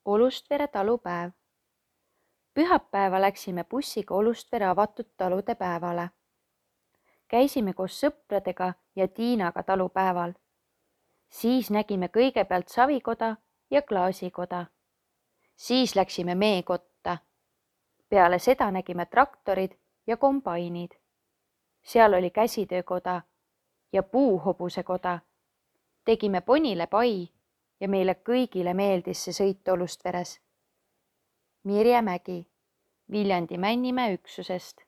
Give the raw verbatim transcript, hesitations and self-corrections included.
Olustvere talupäev. Pühapäeva läksime bussiga Olustvere avatud talude päevale. Käisime koos sõpradega ja Tiinaga talupäeval. Siis nägime kõigepealt savikoda ja klaasikoda. Siis läksime meekotta. Peale seda nägime traktorid ja kombainid. Seal oli käsitöökoda ja puuhobusekoda. Tegime ponile pai ja meile kõigile meeldis see sõit Olustveres. Mirje Mägi, Viljandi Männimäe üksusest.